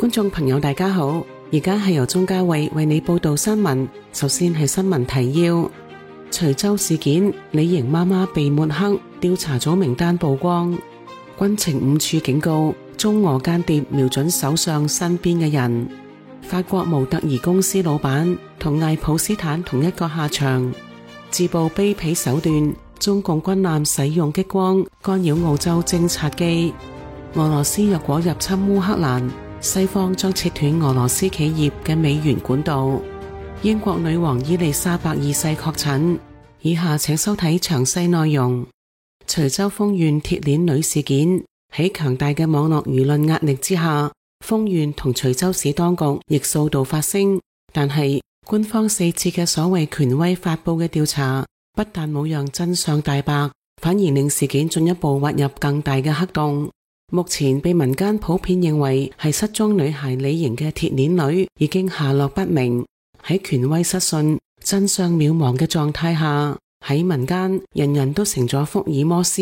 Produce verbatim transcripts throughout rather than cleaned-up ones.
觀眾朋友大家好，而家係由鍾嘉慧為你報道新聞。首先係新聞提要：徐州事件，李瑩媽媽被抹黑，調查組名單曝光。軍情五處警告，中俄間諜瞄準首相身邊嘅人。法國模特兒公司老闆同艾普斯坦同一個下場。自曝卑鄙手段，中共軍艦使用激光干擾澳洲偵察機。俄羅斯若果入侵烏克蘭，西方將切斷俄羅斯企業嘅美元管道。英國女王伊麗莎白二世確診。以下請收睇詳細內容。徐州豐縣鐵鏈女事件，喺強大嘅網絡輿論壓力之下，豐縣同徐州市當局亦數度發聲，但係官方四次嘅所謂權威發佈嘅調查，不但冇讓真相大白，反而令事件進一步滑入更大嘅黑洞。目前被民間普遍認為係失蹤女孩李瑩嘅鐵鏈女已經下落不明，喺權威失信、真相渺茫嘅狀態下，喺民間人人都成咗福爾摩斯，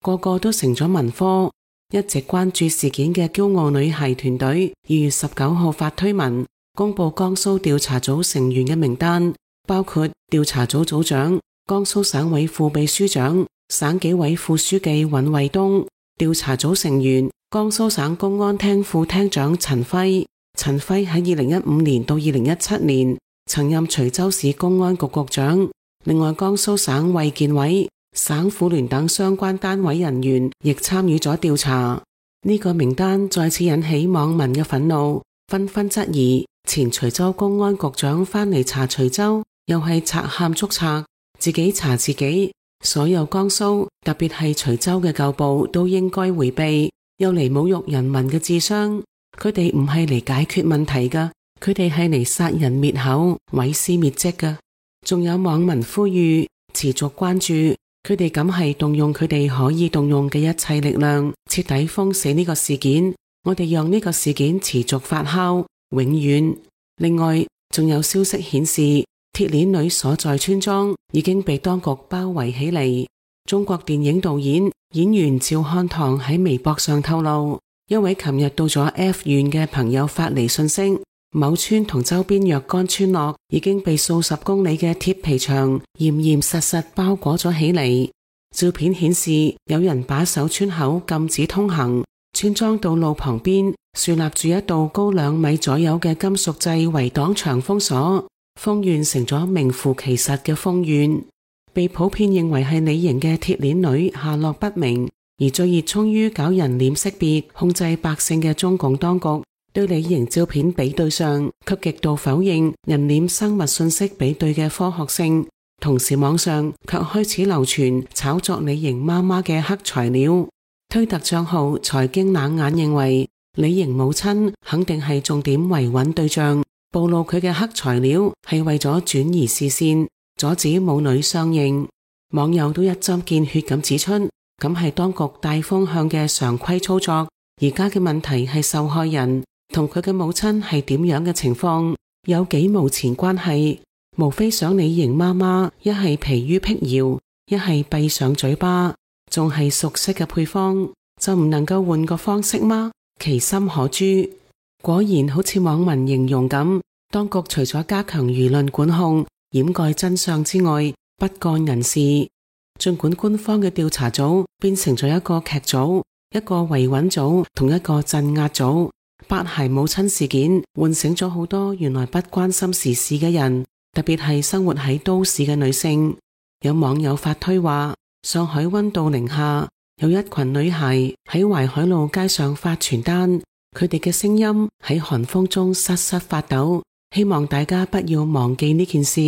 個個都成咗文科。一直關注事件嘅驕傲女孩團隊二月十九號發推文，公布江蘇調查組成員嘅名單，包括調查組組長、江蘇省委副秘書長、省紀委副書記尹衛東。調查組成員江蘇省公安廳副廳長陳輝。陳輝喺二零一五年到二零一七年曾任徐州市公安局局長。另外，江蘇省衛健委、省婦聯等相關單位人員亦參與咗調查。呢個名單再次引起網民嘅憤怒，紛紛質疑前徐州公安局長返嚟查徐州，又係賊喊捉賊，自己查自己。所有江蘇，特別係徐州嘅舊部都應該回避，又嚟侮辱人民嘅智商。佢哋唔係嚟解決問題㗎，佢哋係嚟殺人滅口、毀屍滅跡㗎。仲有網民呼籲持續關注，佢哋咁係動用佢哋可以動用嘅一切力量，徹底封死呢個事件。我哋讓呢個事件持續發酵，永遠。另外，仲有消息顯示，鐵鏈女所在村莊已經被當局包圍起嚟。中國電影導演、演員趙漢棠喺微博上透露，一位琴日到咗 F 縣嘅朋友發嚟信息，某村同周邊若干村落已經被數十公里嘅鐵皮牆嚴嚴實實包裹咗起嚟。照片顯示，有人把守村口禁止通行，村莊道路旁邊豎立住一道高兩米左右嘅金屬製圍擋牆封鎖。豐縣成咗名副其實嘅豐縣，被普遍認為係李瑩嘅鐵鏈女下落不明，而最熱衷於搞人臉識別、控制百姓嘅中共當局，對李瑩照片比對上卻極度否認人臉生物信息比對嘅科學性，同時網上卻開始流傳炒作李瑩媽媽嘅黑材料。推特賬號財經冷眼認為，李瑩母親肯定係重點維穩對象，暴露佢嘅黑材料係為咗轉移視線，阻止母女相認。網友都一針見血咁指出，咁係當局大風向嘅常規操作。而家嘅問題係受害人同佢嘅母親係點樣嘅情況，有幾無前關係，無非想李瑩媽媽一係疲於辟謠，一係閉上嘴巴，仲係熟悉嘅配方，就唔能夠換個方式嗎？其心可誅。果然好似網民形容咁，當局除咗加強輿論管控、掩蓋真相之外，不幹人事。儘管官方嘅調查組變成咗一個劇組、一個維穩組同一個鎮壓組，八孩母親事件喚醒咗好多原來不關心時事嘅人，特別係生活喺都市嘅女性。有網友發推話，上海溫度零下，有一群女孩喺淮海路街上發傳單，佢哋嘅聲音喺寒風中瑟瑟發抖，希望大家不要忘記呢件事。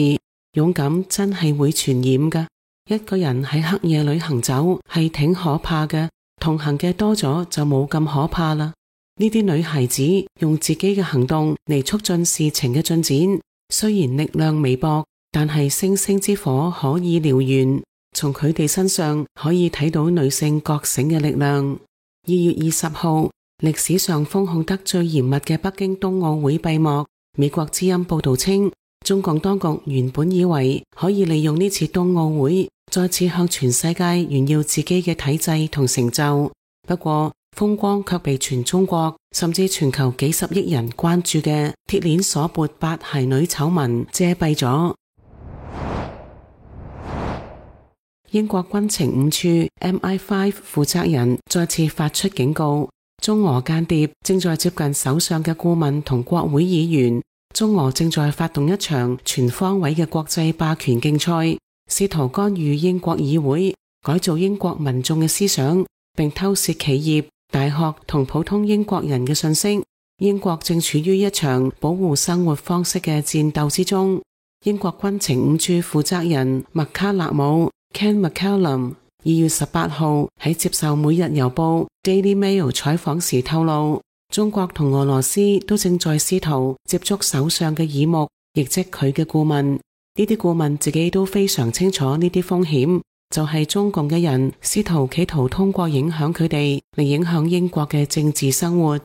勇敢真係會傳染㗎，一個人喺黑夜裏行走係挺可怕嘅，同行嘅多咗就冇咁可怕啦。呢啲女孩子用自己嘅行動嚟促進事情嘅進展，雖然力量微薄，但係星星之火可以燎原。從佢哋身上可以睇到女性覺醒嘅力量。二月二十號，歷史上封控得最嚴密嘅北京冬奧會閉幕。美國之音報道稱，中共當局原本以為可以利用呢次冬奧會再次向全世界炫耀自己嘅體制同成就，不過風光卻被全中國甚至全球幾十億人關注嘅鐵鏈鎖缽八孩女醜聞遮蔽咗。英國軍情五處 M I 五 負責人再次發出警告，中俄間諜正在接近首相嘅顧問同國會議員，中俄正在發動一場全方位嘅國際霸權競賽，試圖干預英國議會，改造英國民眾嘅思想，並偷竊企業、大學同普通英國人嘅信息。英國正處於一場保護生活方式嘅戰鬥之中。英國軍情五處負責人麥卡勒姆 Ken McCallum 二月十八號喺接受每日郵報 Daily Mail 採訪時透露，中國同俄羅斯都正在試圖接觸首相嘅耳目，亦即佢嘅顧問。呢啲顧問自己都非常清楚呢啲風險，就係中共嘅人試圖企圖通過影響佢哋嚟影響英國嘅政治生活。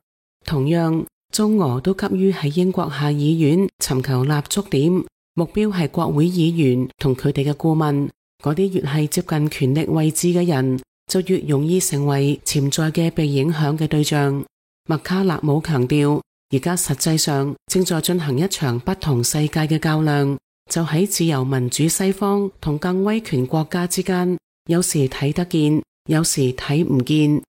同樣，中俄都急於喺英國下議院尋求立足點，目標係國會議員同佢哋嘅顧問。嗰啲越係接近權力位置嘅人，就越容易成為潛在嘅被影響嘅對象。麥卡勒姆強調，而家實際上正在進行一場不同世界嘅較量，就喺自由民主西方同更威權國家之間，有時睇得見，有時睇唔見。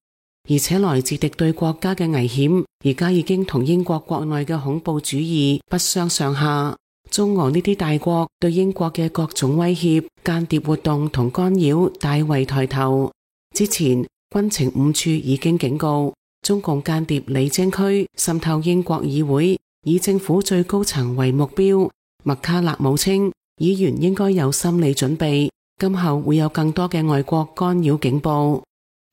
而且來自敵對國家嘅危險，而家已經同英國國內嘅恐怖主義不相上下。中俄呢啲大國對英國嘅各種威脅、間諜活動同干擾大為抬頭。之前軍情五處已經警告，中共間諜李貞駒滲透英國議會，以政府最高層為目標。麥卡勒姆稱，議員應該有心理準備，今後會有更多嘅外國干擾警報。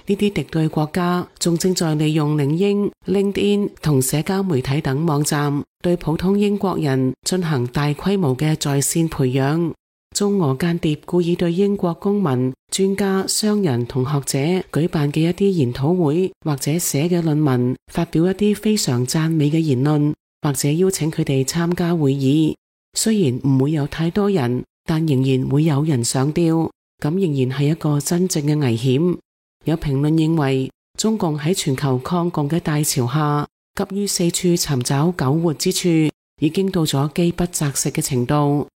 呢啲敵對國家仲正在利用領英、LinkedIn 同社交媒體等網站，對普通英國人進行大規模嘅在線培養。中俄間諜故意對英國公民、專家、商人同學者舉辦嘅一啲研討會或者寫嘅論文，發表一啲非常讚美嘅言論，或者邀請佢哋參加會議。雖然唔會有太多人，但仍然會有人上吊，咁仍然係一個真正嘅危險。有評論認為，中共喺全球抗共嘅大潮下，急於四處尋找苟活之處，已經到咗飢不擇食嘅程度。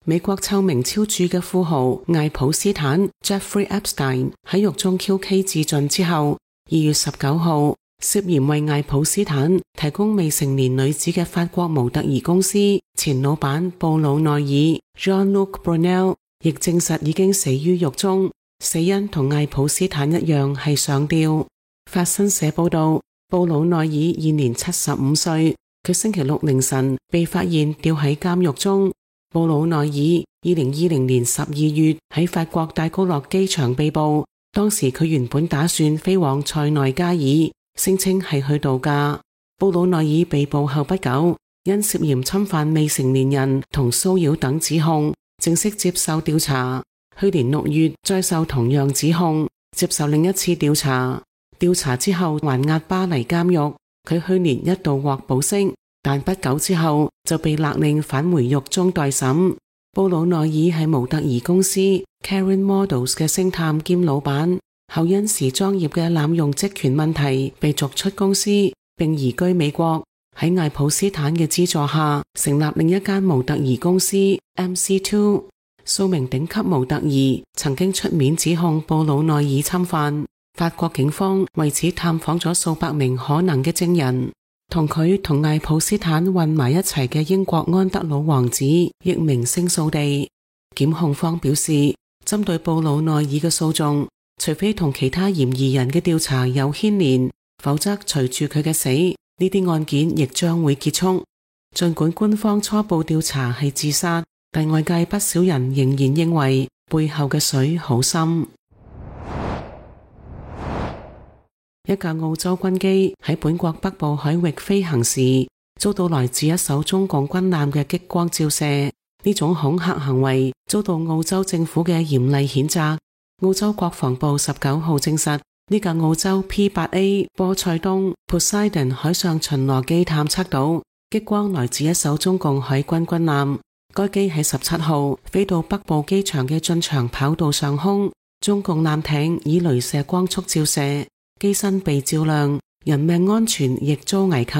美國臭名昭著嘅富豪艾普斯坦 Jeffrey Epstein 喺獄中 Q K 自盡之後，二月十九號涉嫌為艾普斯坦提供未成年女子嘅法國模特兒公司前老闆布魯內爾 Jean-Luc Brunel亦證實已經死於獄中，死因同艾普斯坦一樣係上吊。法新社報道，布魯內爾現年七十五歲，佢星期六凌晨被發現吊喺監獄中。布魯內爾二零二零年十二月喺法國戴高樂機場被捕，當時佢原本打算飛往塞內加爾，聲稱係去度假。布魯內爾被捕後不久，因涉嫌侵犯未成年人同騷擾等指控，正式接受調查。去年六月再受同樣指控，接受另一次調查。調查之後還押巴黎監獄。佢去年一度獲保釋，但不久之後就被勒令返回獄中待審。布魯內爾係模特兒公司 Karen Models 嘅星探兼老闆，後因時裝業嘅濫用職權問題被逐出公司，並移居美國。喺艾普斯坦嘅資助下，成立另一間模特兒公司 M C 二。數名頂級模特兒曾經出面指控布魯內爾侵犯。法國警方為此探訪咗數百名可能嘅證人。同佢同艾普斯坦混埋一齊嘅英國安德魯王子亦名聲掃地。檢控方表示，針對布魯內爾嘅訴訟，除非同其他嫌疑人嘅調查有牽連，否則隨住佢嘅死，呢啲案件亦將會結束。儘管官方初步調查係自殺，但外界不少人仍然認為背後嘅水好深。一架澳洲軍機喺本國北部海域飛行時，遭到來自一艘中共軍艦嘅激光照射，呢種恐嚇行為遭到澳洲政府嘅嚴厲譴責。澳洲國防部十九號證實，呢架澳洲 P 八 A 波塞冬 Poseidon 海上巡邏機探測到激光來自一艘中共海軍軍艦。該機喺十七號飛到北部機場嘅進場跑道上空，中共艦艇以雷射光速照射，機身被照亮，人命安全亦遭危及。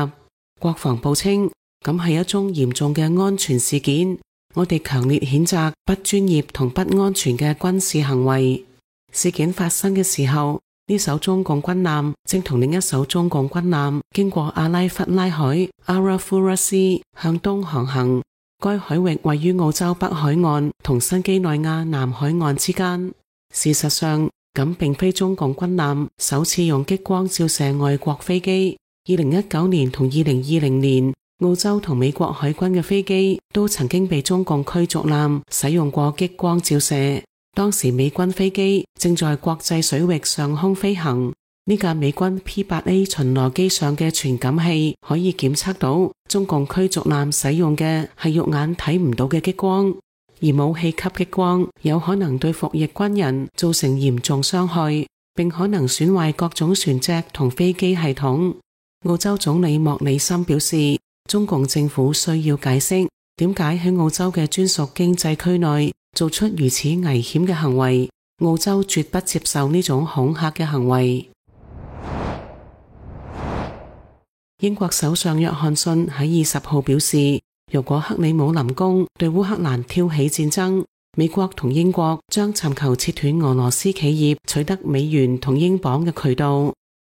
國防部稱，咁係一宗嚴重嘅安全事件，我哋強烈譴責不專業同不安全嘅軍事行為。事件發生嘅時候，呢艘中共軍艦正同另一艘中共軍艦經過阿拉弗拉海 Arafura 向東航行。該海域位於澳洲北海岸同新幾內亞南海岸之間。事實上，咁並非中共軍艦首次用激光照射外國飛機。二零一九年同二零二零年，澳洲同美國海軍嘅飛機都曾經被中共驅逐艦使用過激光照射。當時美軍飛機正在國際水域上空飛行，呢架美軍 P 八 A 巡邏機上嘅傳感器可以檢測到中共驅逐艦使用嘅係肉眼睇唔到嘅激光，而武器級激光有可能對服役軍人造成嚴重傷害，並可能損壞各種船隻同飛機系統。澳洲總理莫里森表示，中共政府需要解釋點解喺澳洲嘅專屬經濟區內做出如此危險嘅行為，澳洲絕不接受呢種恐嚇嘅行為。英國首相約翰遜喺二十號表示，如果克里姆林宮對烏克蘭挑起戰爭，美國同英國將尋求切斷俄羅斯企業取得美元同英鎊嘅渠道。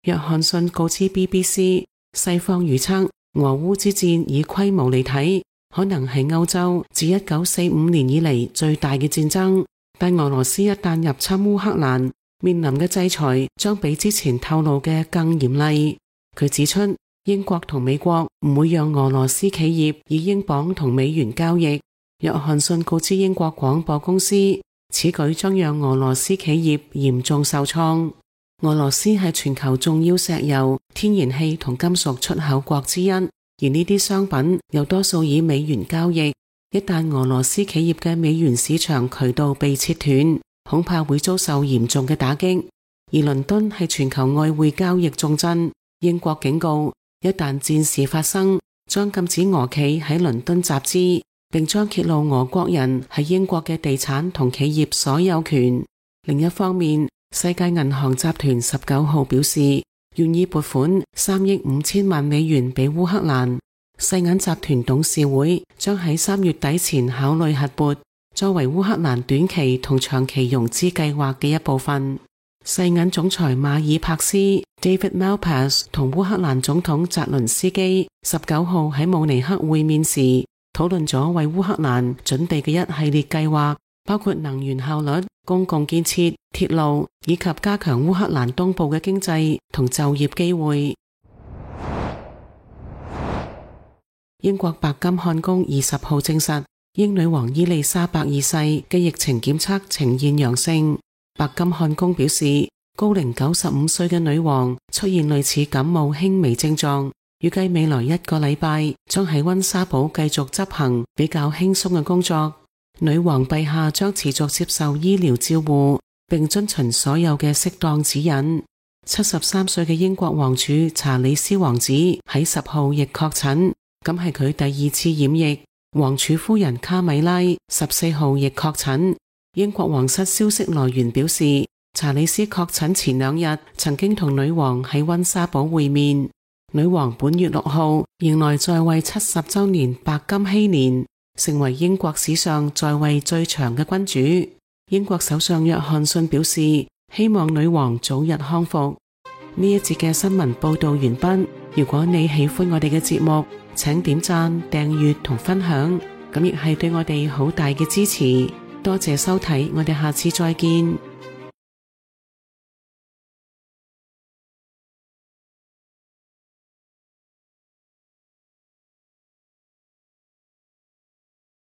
約翰遜告知 B B C， 西方預測俄烏之戰以規模嚟睇，可能係歐洲自一九四五年以嚟最大嘅戰爭。但俄羅斯一旦入侵烏克蘭，面臨嘅制裁將比之前透露嘅更嚴厲。佢指出，英國同美國唔會讓俄羅斯企業以英鎊同美元交易。約翰遜告知英國廣播公司，此舉將讓俄羅斯企業嚴重受創。俄羅斯係全球重要石油、天然氣同金屬出口國之一，而呢啲商品又多數以美元交易。一旦俄羅斯企業嘅美元市場渠道被切斷，恐怕會遭受嚴重嘅打擊。而倫敦係全球外匯交易重鎮，英國警告，一旦戰事發生，將禁止俄企喺倫敦集資，並將揭露俄國人喺英國嘅地產同企業所有權。另一方面，世界銀行集團十九號表示，願意撥款三億五千萬美元俾烏克蘭。世銀集團董事會將喺三月底前考慮核撥，作為烏克蘭短期同長期融資計劃嘅一部分。世銀總裁馬爾帕斯 David Malpass 同烏克蘭總統澤倫斯基十九號喺慕尼黑會面時，討論咗為烏克蘭準備嘅一系列計劃，包括能源效率、公共建設、鐵路以及加強烏克蘭東部嘅經濟同就業機會。英國白金漢宮二十號證實，英女王伊麗莎白二世嘅疫情檢測呈現陽性。白金漢宮表示，高齡九十五歲嘅女王出現類似感冒輕微症狀，預計未來一個禮拜將喺溫莎堡繼續執行比較輕鬆嘅工作。女王陛下將持續接受醫療照護，並遵循所有嘅適當指引。七十三歲嘅英國王儲查理斯王子喺十號亦確診，咁係佢第二次染疫。王儲夫人卡米拉十四號亦確診。英國皇室消息來源表示，查理斯確診前兩日曾經同女王喺溫莎堡會面。女王本月六號迎來在位七十周年白金禧年，成為英國史上在位最長嘅君主。英國首相約翰遜表示，希望女王早日康復。呢一節嘅新聞報道完畢。如果你喜歡我哋嘅節目，請點讚、訂閱同分享，咁亦係對我哋好大嘅支持。多謝收睇，我哋下次再見。